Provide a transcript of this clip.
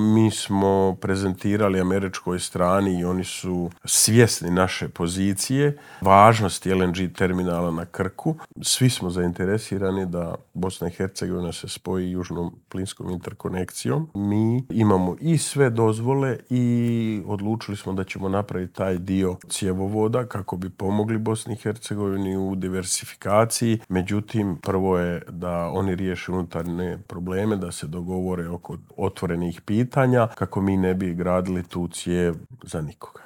Mi smo prezentirali američkoj strani i oni su svjesni naše pozicije, važnosti LNG terminala na Krku. Svi smo zainteresirani da Bosna i Hercegovina se spoji južnom plinskom interkonekcijom. Mi imamo i sve dozvole i odlučili smo da ćemo napraviti taj dio cjevovoda kako bi pomogli Bosni i Hercegovini u diversifikaciji. Međutim, prvo je da oni riješe unutarnje probleme, da se dogovore oko otvorenih pitanja kako mi ne bi gradili tu cijev za nikoga.